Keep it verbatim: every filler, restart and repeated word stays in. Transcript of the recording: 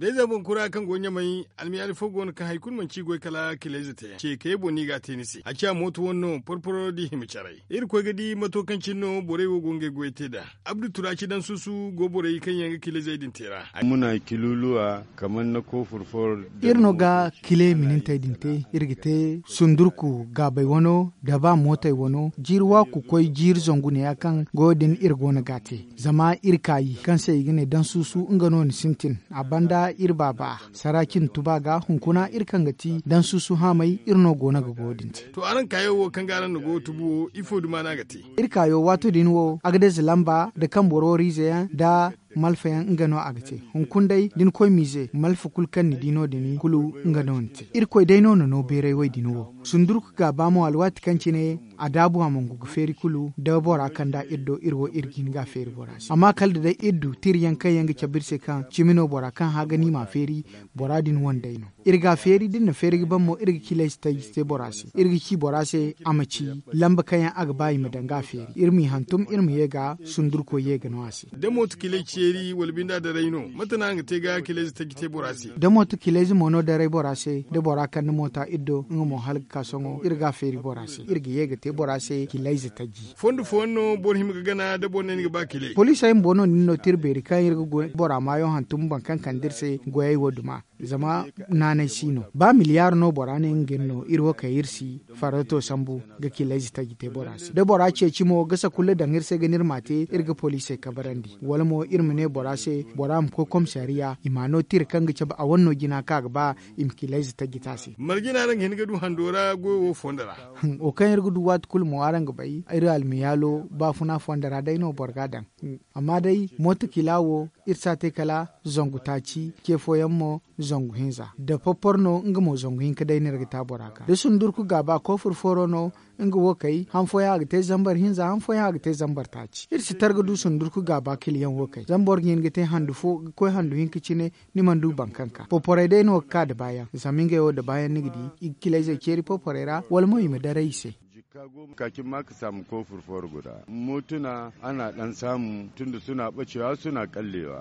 Dayza boŋ kura kaŋ go ɲamay, almiyaali fo go no kaŋ hari kulu manti goy kala kilayze te ce kayey boŋ no i ga a te ni se a ciya mooto wane no porporo da i hima caray. Irkoy ga di mato kaŋ cine no borey wo go ngey goyey te nd'a. Abdu turaaci daŋ suusu go borey kaŋ yaŋ ga kilayzey din te ra. Muna kiluluwa kamar na koofur foro. Iri no ga kile minintey din te. Iri ga te sundurku gaabay wano da ba mootey wano jiiri waaku koy jiiri zangu neeya kaŋ goyo din iri go no ga a te. Zama iri kaayi kaŋ se i ga ne daŋ suusu nga no ni sintin. A banda iri baaba saraaci na tuba ga hunkuna iri kaŋ ga ti daŋ suusu haamay iri no go no ga goyo din te. To araŋ kaayo wo kaŋ ga araŋ na goyo tubu wo ifo duma no a ga te? Iri kaayo waato din wo a ga deeze lamba nda kambororiize yaŋ nda malfa yaŋ nga no a ga te. Hunkuna day da ni koy miize malfa kulu kaŋ ni di no- din kulu nga no ni te. Irkoy day no na no beeray wo- din wo. Sundurku gaaba mo alwaati kaŋ cine a daabu a mangu ga feeri kulu da bora kaŋ da iri do iri wo iri ga hin ga a feeri bora se amma kala da day iri du tira yaŋ kaŋ yaŋ ga cabe iri se kaŋ cimi no bora kaŋ hã ga ni m'a feeri. Bora din wane day no. Iri ga a feeri da iri na feeri ga ban mo iri ga kiilayze taji te bora se iri ga ci bora se a ma ci lamba kaŋ yaŋ a ga ba i ma daŋ ga a feeri iri m'i hantum iri ma ye ga sundurko ye ga no a se. Da mooto kiilayze ceeri wala binda daray no mate no araŋ ga te ga kiilayze taji te bora se? Da mooto kiilayze mo no daray bora se da bora kande moota iri do nga mo hala ga ka sohõ iri ga a feeri bora se iri ga ye ga te bora se kiilayze taji. Fondo fooyaŋ no boro hima ga gana da boro ne ni ga ba kiilay? Poliisey bumbo no nin no tira beeri kaŋ iri ga bora maayo hantum boro kaŋ kande iri se goyey wo duma. Zama naanay si no ba miliyaari no bora ne nga iri no iri wo kay iri si farrato sambu ga kiilayze taji te bora se da bora ceeci mo gasa kulu daŋ iri se ga no iri m'a te iri ga poliisey kabarandi wala mo iri ma ne bora se bora ma koy komisariya i m'a no tira kaŋ ga cabe a wane no jina kaŋ a ga ba i ma kiilayze taji te a se. Marje no araŋ ga hin ga du hando ra goyo wo fondo ra? Wo kaŋ iri ga du waati kulu mo araŋ ga bay iri almiyaalo baafuna fondo ra day no boro ga a daŋ. Amma day mooto kiila wo iri si a te kala zangu taaci ce fooyaŋ mo zangu hinza da porporo no nga mo zangu hinka day no iri ga te a bora ga da sundurku gaaba koofur fooro no. Nga wo kay han fooyaŋ a ga te zambar hinza han fooyaŋ a ga te zambar taaci iri si tar ga du sundurku gaaba kiliyaŋ wo kay zama boro ga hin ga te handu fo ga koy handu hinka cine. Ni mana du boro kaŋ ka porporey day no ga ka da baayaŋ zama ngey wo da baayaŋ ni ga di i ga kilayzey ceeri porporey ra wala mo i ma daray i se. Jikka goma ka cin ma ka saamu koofur fooro guda mootuna a na daŋ saamu tun da suna bacewa suna kallewa.